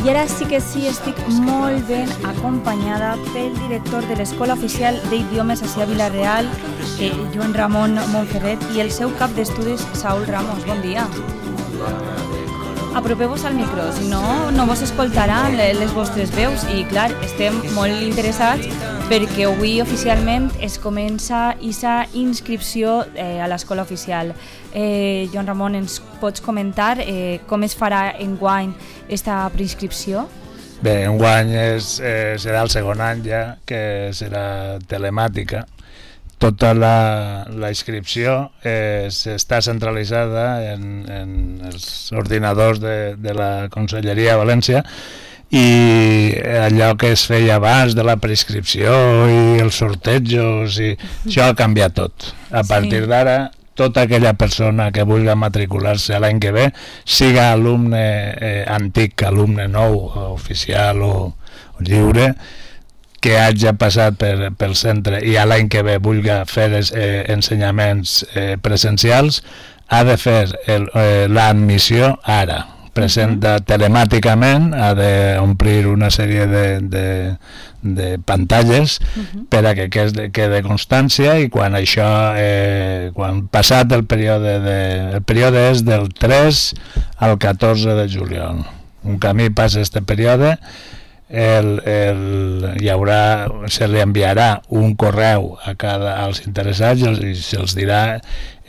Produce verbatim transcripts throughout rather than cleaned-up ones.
I ara sí que sí, estic molt ben acompanyada pel director de l'Escola Oficial d'Idiomes a Vila-real, eh, Joan Ramon Montferret, i el seu cap d'estudis, Saúl Ramos. Bon dia. Apropeu-vos al micro, si no, no vos escoltaran les vostres veus. I clar, estem molt interessats perquè avui oficialment es comença aquesta inscripció eh, a l'Escola Oficial. Eh, Joan Ramon, ens pots comentar eh, com es farà enguany aquesta preinscripció? Bé, enguany és, eh, serà el segon any ja, que serà telemàtica. Tota la, la inscripció eh, està centralitzada en, en els ordinadors de, de la Conselleria de València, i allò que es feia abans de la preinscripció i els sortejos, i això ha canviat tot. A partir sí. d'ara, tota aquella persona que vulgui matricular-se l'any que ve, siga alumne eh, antic, alumne nou, oficial o, o lliure, que hagi passat per, pel centre i a l'any que ve vulgui fer eh, ensenyaments eh, presencials, ha de fer eh, l'admissió ara. Presenta telemàticament, ha d'omplir una sèrie de, de, de pantalles uh-huh. per a que quede, quede constància, i quan això, eh, quan passat el període, de, el període és del tres al catorze de juliol. Un camí passa este període, el, el, hi haurà, se li enviarà un correu a cada, als interessats i se'ls dirà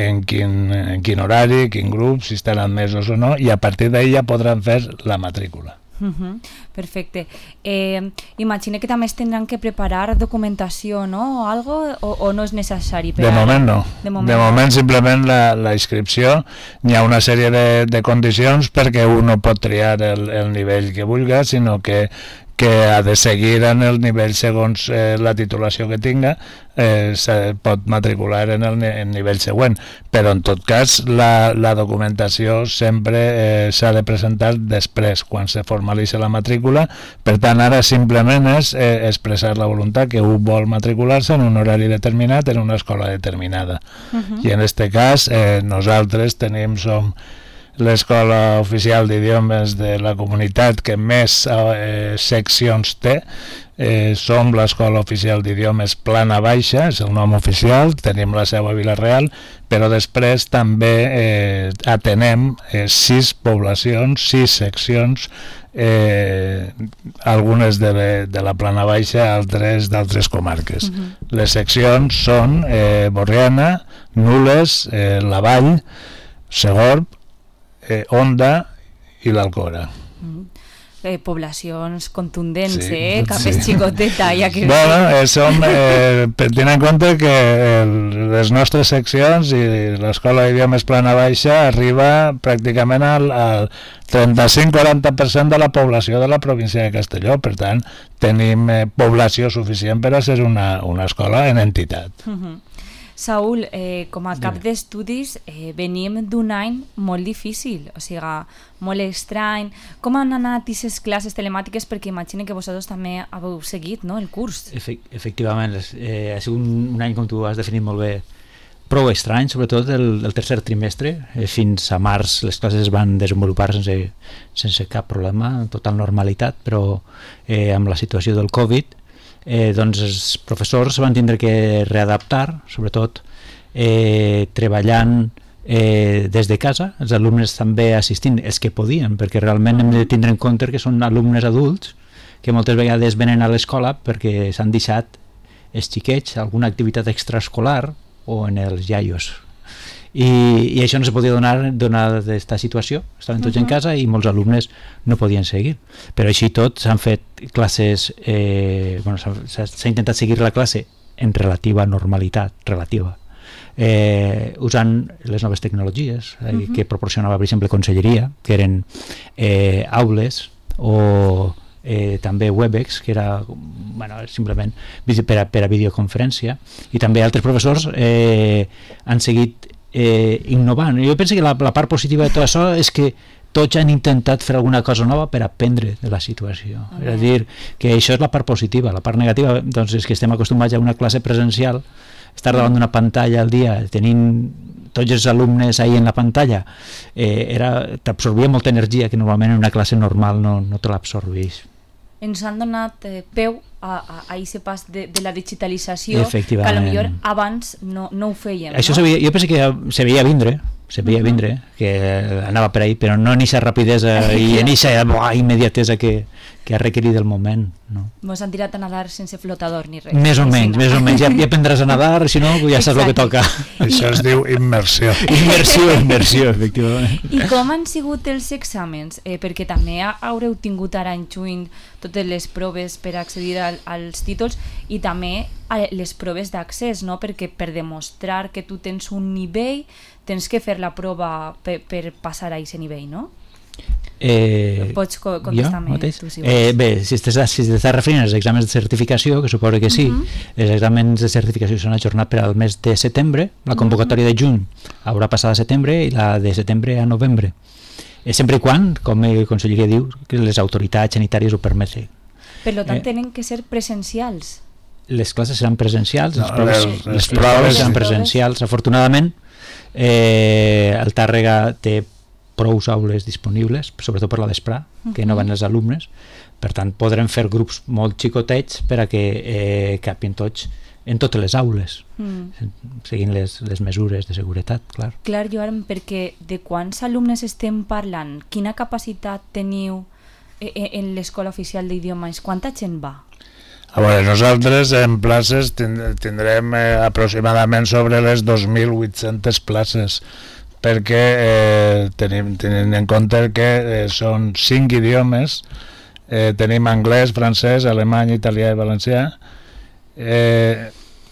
en quin, en quin horari, quin grup, si estan admesos o no, i a partir d'ahir ja podran fer la matrícula. Uh-huh. Perfecte. Eh, imagine que també es tindran que preparar documentació, no? O algo, o, o no és necessari? Per de ara? moment no. De moment, de moment simplement la, la inscripció, hi ha una sèrie de, de condicions perquè un no pot triar el, el nivell que vulgui, sinó que que ha de seguir en el nivell segons eh, la titulació que tinga, eh, se pot matricular en el en nivell següent, però en tot cas la, la documentació sempre eh, s'ha de presentar després, quan se formalitza la matrícula. Per tant, ara simplement és eh, expressar la voluntat que un vol matricular-se en un horari determinat en una escola determinada. Uh-huh. I en aquest cas eh, nosaltres tenim, som l'Escola Oficial d'Idiomes de la comunitat que més eh, seccions té. Eh, som l'Escola Oficial d'Idiomes Plana Baixa, és el nom oficial, tenim la seu a Vila-real, però després també eh, atenem eh, sis poblacions, sis seccions, eh, algunes de, le, de la Plana Baixa, altres d'altres comarques. Uh-huh. Les seccions són eh, Borriana, Nules, eh, La Vall, Segorb, Eh, Onda i l'Alcora. Mm. Eh, poblacions contundents, sí, eh? Capes sí. xicoteta. Ja que... Bueno, eh, som, eh, tenint en compte que el, les nostres seccions i l'Escola d'Idiomes Plana Baixa arriba pràcticament al, al trenta-cinc a quaranta per cent de la població de la província de Castelló. Per tant, tenim eh, població suficient per a ser una, una escola en entitat. Uh-huh. Saúl, eh, com a cap d'estudis eh, venim d'un any molt difícil, o sigui, molt estrany. Com han anat aquestes classes telemàtiques? Perquè imagino que vosaltres també heu seguit, no?, el curs. Efect- efectivament, eh, ha sigut un, un any, com tu has definit molt bé, prou estrany, sobretot el, el tercer trimestre. Eh, fins a març les classes es van desenvolupar sense, sense cap problema, en total normalitat, però eh, amb la situació del Covid, Eh, doncs els professors van tindre que readaptar, sobretot eh, treballant eh, des de casa, els alumnes també assistint, els que podien, perquè realment hem de tindre en compte que són alumnes adults que moltes vegades venen a l'escola perquè s'han deixat els xiquets alguna activitat extraescolar o en els iaios. I, i això no se podia donar donada aquesta situació, estaven tots uh-huh. en casa i molts alumnes no podien seguir, però així tot s'han fet classes, eh, bueno, s'ha, s'ha intentat seguir la classe en relativa normalitat, relativa, eh, usant les noves tecnologies eh, uh-huh. que proporcionava, per exemple, Conselleria, que eren eh, aules o eh, també Webex, que era bueno, simplement per a, per a videoconferència, i també altres professors eh, han seguit Eh, innovant. Jo penso que la, la part positiva de tot això és que tots han intentat fer alguna cosa nova per aprendre de la situació. Uh-huh. És a dir, que això és la part positiva. La part negativa doncs, és que estem acostumats a una classe presencial, estar davant d'una pantalla al dia, tenint tots els alumnes ahí en la pantalla, eh, era, t'absorbia molta energia que normalment en una classe normal no, no te l'absorbeix. Ens han donat eh, peu a, a, a aquest pas de, de la digitalització que potser abans no, no ho fèiem. Això no? Sabia, jo penso que se veia vindre, se veia uh-huh. vindre, que anava per ahí, però no en aquesta rapidesa i en aquesta immediatesa que, que ha requerit el moment. No? Mos han tirat a nadar sense flotador ni res. Més o menys, més o menys. Ja, ja aprendràs a nadar, si no, ja saps el que toca. Això es diu immersió. Immersió, immersió, efectivament. I com han sigut els exàmens? Eh, perquè també haureu tingut ara en juny totes les proves per accedir al, als títols i també les proves d'accés, no? Perquè per demostrar que tu tens un nivell tens que fer la prova per, per passar a aquest nivell, no? Eh, Pots co contestar-me tu, si vols. Eh, bé, si t'estàs si referint als exàmens de certificació, que suposo que sí, uh -huh. els exàmens de certificació s'han ajornat per al mes de setembre, la convocatòria de juny haurà passat a setembre i la de setembre a novembre. Eh, sempre i quan, com el Conselleria diu, que les autoritats sanitàries ho permeten. Per tant, eh, tenen que ser presencials. Les classes seran presencials, no, les proves, les, les, les proves seran presencials. Afortunadament, eh, el Tàrrega té prou aules disponibles, sobretot per la vesprà, que no van els alumnes, per tant podrem fer grups molt xicotets per a que eh, capin tots en totes les aules, mm. seguint les, les mesures de seguretat, clar. Clar, Joan, perquè de quants alumnes estem parlant? Quina capacitat teniu en l'escola oficial d'idiomes? Quanta gent va? A veure, nosaltres en places tindrem eh, aproximadament sobre les dos mil vuit-centes places, perquè eh, tenim, tenint en compte que eh, són cinc idiomes, eh, tenim anglès, francès, alemany, italià i valencià, eh,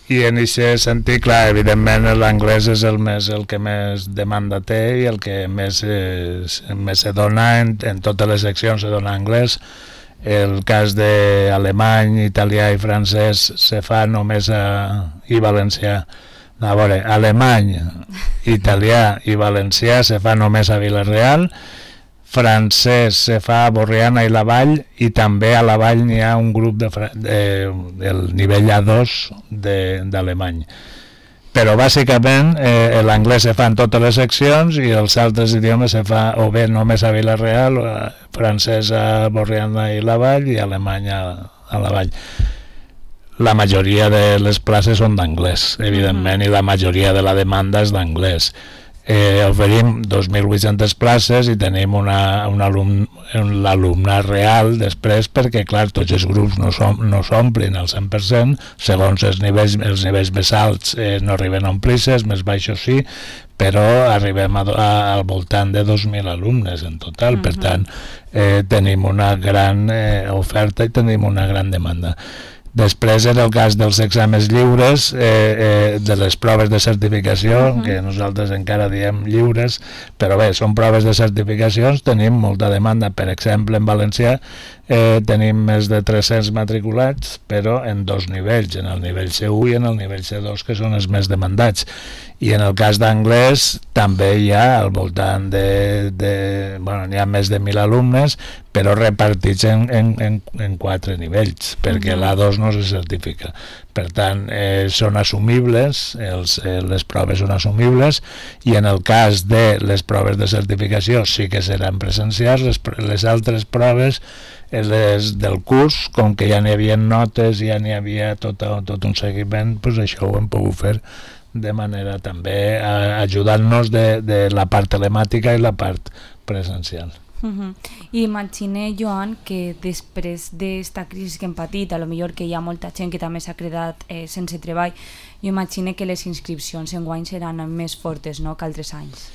i en aquest sentit, clar, evidentment l'anglès és el, més, el que més demanda té i el que més, eh, més se dona en, en totes les seccions se dona anglès. El cas d'alemany, italià i francès se fa només a, i valencià. A veure, alemany, italià i valencià se fa només a Vila-real, francès se fa a Borriana i la Vall, i també a la Vall n'hi ha un grup de, de, del nivell A dos d'alemany. Però bàsicament eh, l'anglès se fa en totes les seccions i els altres idiomes se fa o bé només a Vila-real, o a, francès a Borriana i la Vall i alemany a, a la Vall. La majoria de les places són d'anglès, evidentment, i la majoria de la demanda és d'anglès. Eh, oferim dos mil vuit-centes places i tenim una, un alum, un alumnat real després, perquè clar, tots els grups no s'omplin al cent per cent, segons els nivells, els nivells més alts eh, no arriben a omplir-se, els més baixos sí, però arribem a, a, al voltant de dos mil alumnes en total. Uh-huh. Per tant eh, tenim una gran eh, oferta i tenim una gran demanda. Després, en el cas dels exàmens lliures, eh, eh, de les proves de certificació, uh-huh. que nosaltres encara diem lliures, però bé, són proves de certificacions, tenim molta demanda. Per exemple, en valencià eh, tenim més de tres-cents matriculats, però en dos nivells, en el nivell C u i en el nivell C dos, que són els més demandats. I en el cas d'anglès també hi ha al voltant de, de bueno, n'hi ha més de mil alumnes, però repartits en, en, en, en quatre nivells, perquè uh-huh. l'A dos no se certifica. Per tant, eh, són assumibles, els, eh, les proves són assumibles, i en el cas de les proves de certificació sí que seran presencials. Les, les altres proves, les del curs, com que ja n'hi havia notes, ja n'hi havia tot, tot un seguiment, doncs això ho hem pogut fer de manera també a, ajudant-nos de, de la part telemàtica i la part presencial. Uh-huh. I imagine, Joan, que després d'esta crisi que hem patit, a lo millor que hi ha molta gent que també s'ha quedat eh, sense treball, jo imagine que les inscripcions enguany seran més fortes, no?, que altres anys.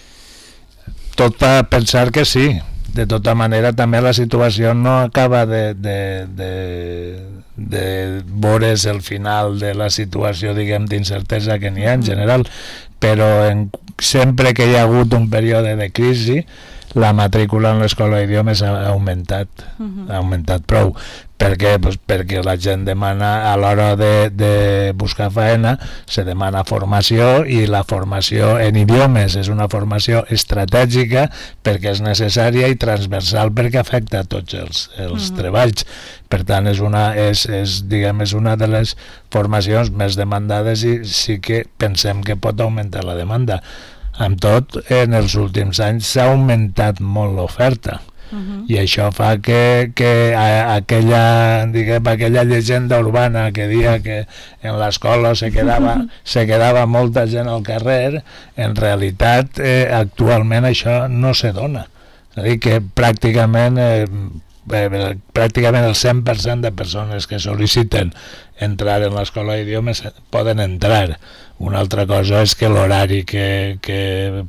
Tot fa pensar que sí. De tota manera, també la situació no acaba de, de, de, de veure's el final de la situació, diguem, d'incertesa que n'hi ha en general, però en, sempre que hi ha hagut un període de crisi, la matrícula en l'escola d'idiomes ha augmentat, uh-huh. ha augmentat prou. Per què? Pues perquè la gent demana, a l'hora de, de buscar feina, se demana formació, i la formació en idiomes és una formació estratègica perquè és necessària i transversal perquè afecta a tots els, els uh-huh. treballs. Per tant, és una, és, és, diguem, és una de les formacions més demandades i sí que pensem que pot augmentar la demanda. Amb tot, en els últims anys s'ha augmentat molt l'oferta. Uh-huh. I això fa que, que a, aquella, diguem, aquella llegenda urbana que dia que en l'escola se quedava, se quedava molta gent al carrer, en realitat eh, actualment això no se dona. És a dir, que pràcticament eh, eh, pràcticament el cent per cent de persones que sol·liciten entrar en l'escola d'idiomes poden entrar. Una altra cosa és que l'horari que, que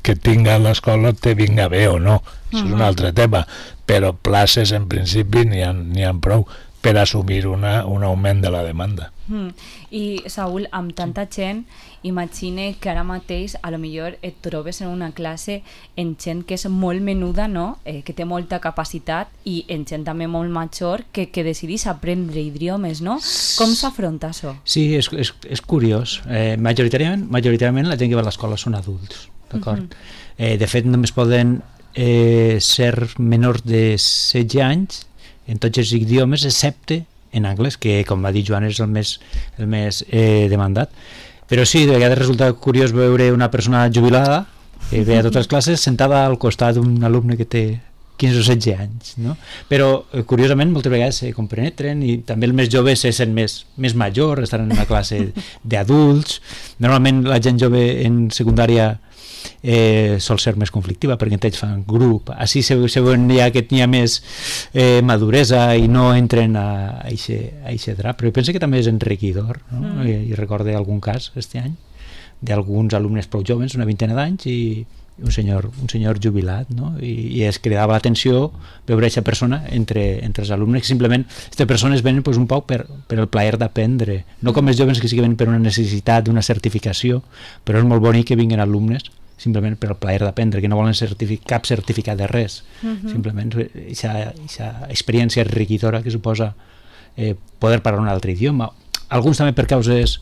que tinga l'escola te vinga bé o no, això és un altre tema, però places en principi n'hi ha, n'hi ha prou per assumir una, un augment de la demanda. Mm. I Saúl, amb tanta gent, imagine que ara mateix a lo millor et trobes en una classe en gent que és molt menuda, no? Eh, que té molta capacitat, i en gent també molt major que, que decidís aprendre idiomes, no? Com s'afronta això? Sí, és, és, és curiós. Eh, majoritàriament, majoritàriament la gent que va a l'escola són adults. D'acord. Uh-huh. Eh, de fet, només poden eh, ser menors de setze anys en tots els idiomes, excepte en anglès, que, com va dir Joan, és el més, el més eh, demandat. Però sí, de vegades resulta curiós veure una persona jubilada que ve a totes les classes sentada al costat d'un alumne que té quinze o setze anys, no? Però, eh, curiosament, moltes vegades se compenetren, i també els més joves se sent més, més major, estan en una classe d'adults. Normalment la gent jove en secundària eh, sol ser més conflictiva, perquè en ells fan grup, així se, se veuen ja que n'hi ha més eh, maduresa i no entren a aquest drap, però penso que també és enriquidor, no? Mm. I, i recorde algun cas aquest any d'alguns alumnes prou joves, una vintena d'anys, i un senyor, un senyor jubilat, no? I, i es cridava l'atenció veure aquesta persona entre, entre els alumnes, que simplement aquestes persones venen pues, un poc per, per el plaer d'aprendre, no com els joves que sí que venen per una necessitat d'una certificació, però és molt bonic que vinguin alumnes simplement per el plaer d'aprendre, que no volen certific cap certificat de res, uh-huh. Simplement aquesta experiència enriquidora que suposa eh, poder parlar un altre idioma. Alguns també per causes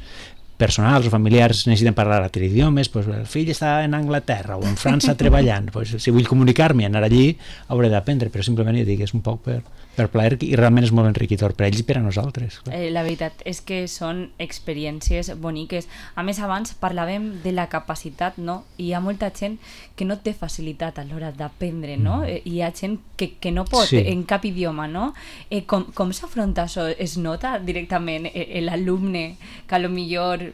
personals o familiars necessiten parlar altres idiomes, pues, el fill està en Anglaterra o en França treballant, pues, si vull comunicar-me i anar allí hauré d'aprendre, però simplement ja dic, és un poc per, per plaer, i realment és molt enriquidor per a ells i per a nosaltres. Eh, la veritat és que són experiències boniques. A més, abans parlàvem de la capacitat, no? I hi ha molta gent que no té facilitat a l'hora d'aprendre, no? Mm. Hi ha gent que, que no pot sí. en cap idioma, no? Eh, com com s'afronta això? Es nota directament eh, l'alumne que a lo millor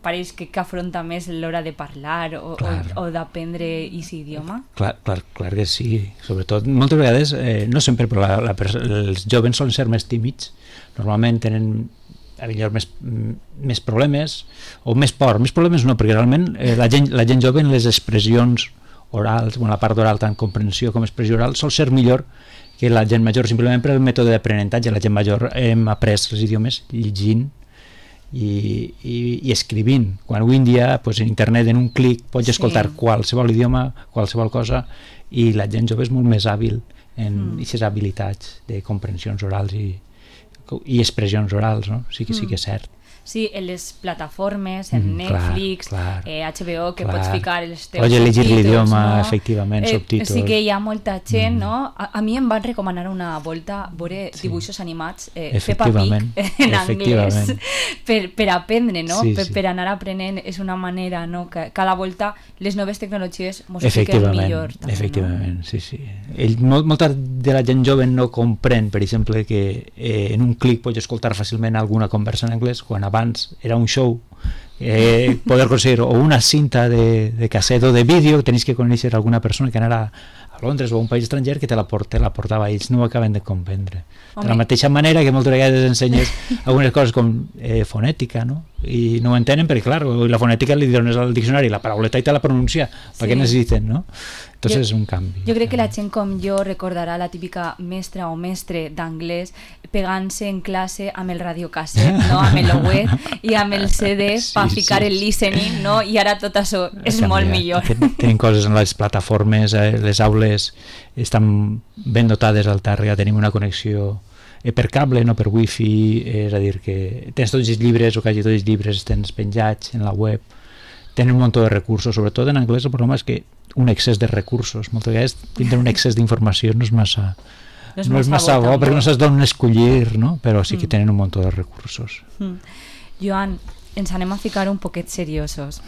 pareix que, que afronta més l'hora de parlar o, o, o d'aprendre aquest idioma? Clar, clar, clar que sí. Sobretot, moltes vegades, eh, no sempre, però la, la, els joves solen ser més tímids. Normalment tenen a millor més, més problemes o més por. Més problemes no, perquè realment eh, la, gent, la gent jove en les expressions orals, bueno, la part oral, tant comprensió com expressió oral, sol ser millor que la gent major, simplement per el mètode d'aprenentatge. La gent major hem après els idiomes llegint I, i, i escrivint, quan avui en dia pues, en internet en un clic pots sí. escoltar qualsevol idioma, qualsevol cosa, i la gent jove és molt més hàbil en aquestes mm. habilitats de comprensions orals i, i expressions orals, no? Sí que, mm. sí que és cert. Sí, en les plataformes, en mm, Netflix, clar, clar, eh, H B O, que clar. Pots ficar els teus Pots elegir l'idioma, no? Efectivament, eh, subtítols. Sí que hi ha molta gent, mm. no? A, a mi em van recomanar una volta veure sí. dibuixos animats, eh, Peppa Pig en anglès, per, per aprendre, no? Sí, per, sí. per anar aprenent, és una manera, no? Que cada volta les noves tecnologies mos expliquen millor. També, efectivament, no? sí, sí. Ell, molt, molta de la gent jove no comprèn, per exemple, que eh, en un clic pots escoltar fàcilment alguna conversa en anglès, quan abans era un show, eh, poder conseguir o una cinta de, de casset o de vídeo, tenéis que conèixer alguna persona que anara a Londres o a un país estranger que te la, te la portava, ells no ho acaben de comprendre. Home. De la mateixa manera que moltes vegades ensenyes algunes coses com eh, fonètica, no? I no ho entenen perquè, clar, la fonètica li dones al diccionari la parauleta i te la pronuncia, sí. perquè necessiten, no? Entonces jo, és un canvi. Jo crec que la gent com jo recordarà la típica mestra o mestre d'anglès pegant-se en classe amb el radiocasset, no? Amb el web i amb el C D sí, per ficar sí. el listening, no? I ara tot això és canviat. Molt millor. Tenim coses en les plataformes, eh, les aules estan ben dotades al Tàrrega, tenim una connexió eh, per cable, no per wifi, eh, és a dir que tens tots els llibres o quasi tots els llibres tens penjats en la web, tenen un munt de recursos, sobretot en anglès el problema és que un excés de recursos, moltes vegades tindre un excés d'informació no és massa no és, no és massa bo, perquè no saps d'on escollir, no? Però sí que tenen un munt de recursos. Mm. Joan, ens anem a ficar un poquet seriosos,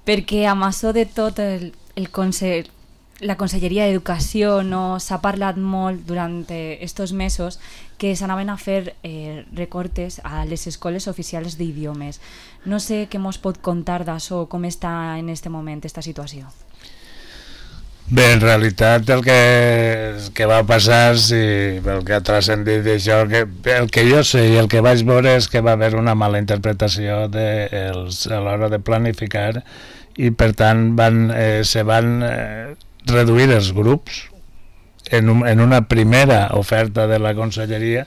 perquè amb això de tot el, el consell, la Conselleria d'Educació no s'ha parlat molt durant estos mesos que s'anaven a fer eh, recortes a les escoles oficials d'idiomes. No sé què mos pot contar d'això, com està en este moment esta situació. Bé, en realitat el que, el que va passar, si el que ha transcendit d'això, que, el que jo sé i el que vaig veure és que va haver una mala interpretació de els, a l'hora de planificar i per tant van, eh, se van eh, reduir els grups. En, un, en una primera oferta de la Conselleria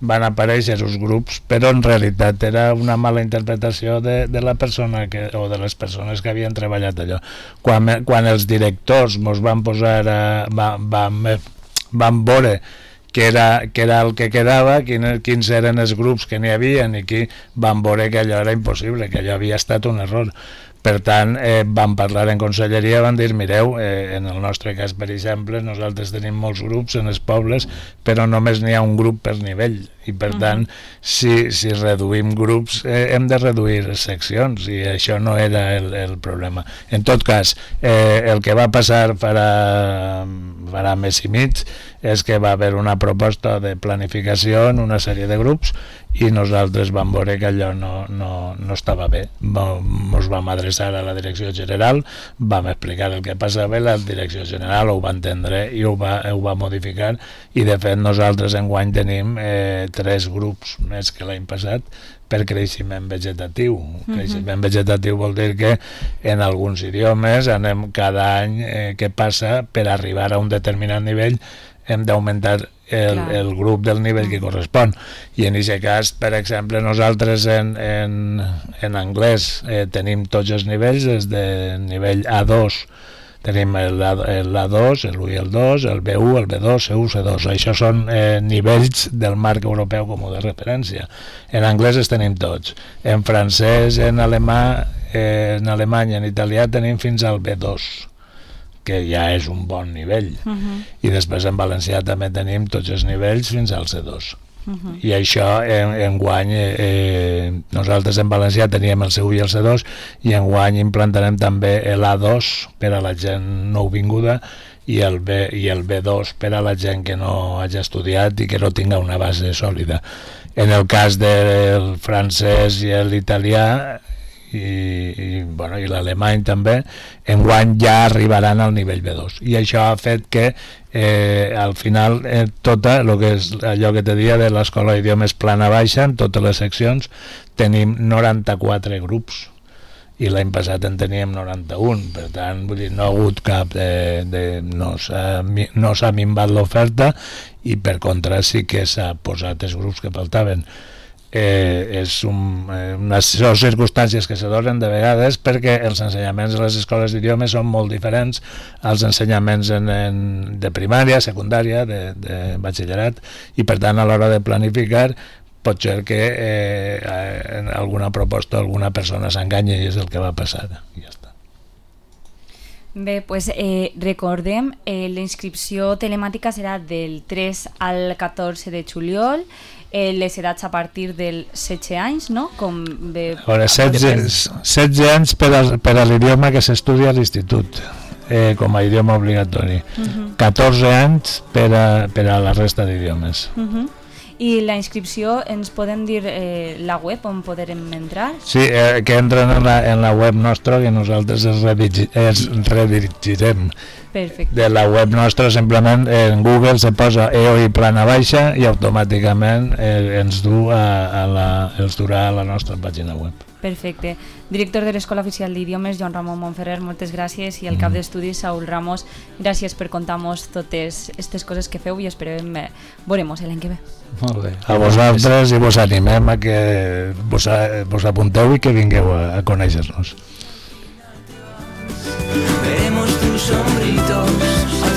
van aparèixer els grups, però en realitat era una mala interpretació de, de la persona que, o de les persones que havien treballat allò. Quan, quan els directors mos van posar a, van, van, van veure que era, que era el que quedava, quins, quins eren els grups que n'hi havia, i qui van veure que allò era impossible, que allò havia estat un error. Per tant, eh, vam parlar en conselleria, van dir, mireu, eh, en el nostre cas, per exemple, nosaltres tenim molts grups en els pobles, però només n'hi ha un grup per nivell, i per uh-huh. tant, si, si reduïm grups, eh, hem de reduir seccions, i això no era el, el problema. En tot cas, eh, el que va passar farà, farà mes i mig és que va haver una proposta de planificació en una sèrie de grups, i nosaltres vam veure que allò no, no, no estava bé. Ens vam adreçar a la direcció general, vam explicar el que passava, la direcció general ho va entendre i ho va, ho va modificar, i de fet nosaltres enguany tenim eh, tres grups més que l'any passat per creixement vegetatiu. Uh-huh. Creixement vegetatiu vol dir que en alguns idiomes anem cada any eh, que passa, per arribar a un determinat nivell hem d'augmentar el, el grup del nivell que correspon, i en aquest cas, per exemple, nosaltres en, en, en anglès eh, tenim tots els nivells, des de nivell A dos tenim l'A dos, l'u i el dos, el B u, el B dos, C u, C dos. Això són eh, nivells del marc europeu comú de referència. En anglès els tenim tots. En francès, en alemà, eh, en alemany, en italià tenim fins al B dos, que ja és un bon nivell. Uh-huh. I després en valencià també tenim tots els nivells fins al C dos. Uh-huh. I això en, en guany eh, nosaltres en valencià teníem el C u i el C dos, i en guany implantarem també l'A dos per a la gent nouvinguda, i el, B, i el B dos per a la gent que no hagi estudiat i que no tinga una base sòlida. En el cas del francès i l'italià i, i, bueno, i l'alemany també, enguany ja arribaran al nivell B dos, i això ha fet que eh, al final eh, tota el que és allò que te dia de l'escola d'idiomes plana baixa, en totes les seccions tenim noranta-quatre grups, i l'any passat en teníem noranta-un, per tant vull dir, no ha hagut cap de, de, no s'ha no s'ha minvat l'oferta, i per contra sí que s'ha posat els grups que faltaven. Eh, és un, eh, unes circumstàncies que se donen de vegades perquè els ensenyaments a les escoles d'idiomes són molt diferents als ensenyaments en, en, de primària, secundària, de, de batxillerat, i per tant a l'hora de planificar pot ser que eh, en alguna proposta alguna persona s'enganyi, i és el que va passar, i ja està. Bé, pues, eh, recordem, eh, la inscripció telemàtica serà del tres al catorze de juliol. Eh, les edats a partir dels setze anys, no? Com bé, Ora, setze anys per a, per a l'idioma que s'estudia a l'institut, eh, com a idioma obligatori. Uh-huh. catorze anys per a, per a la resta d'idiomes. Uh-huh. I la inscripció, ens poden dir eh, la web on podrem entrar? Sí, eh, que entren en la, en la web nostra, que nosaltres els, redigi, els redirigirem. Perfecte. De la web nostra simplement en Google se posa E O I plana baixa i automàticament eh, ens du a, a la, els durà a la nostra pàgina web. Perfecte. Director de l'Escola Oficial d'Idiomes, Joan Ramon Montferrer, moltes gràcies, i el cap d'estudis, Saúl Ramos, gràcies per contar-nos totes aquestes coses que feu, i esperem eh, veurem-nos l'any que ve. Molt bé. A vosaltres, i vos animem a que vos, a, vos apunteu i que vingueu a, a conèixer-nos. Veremos tus sombritos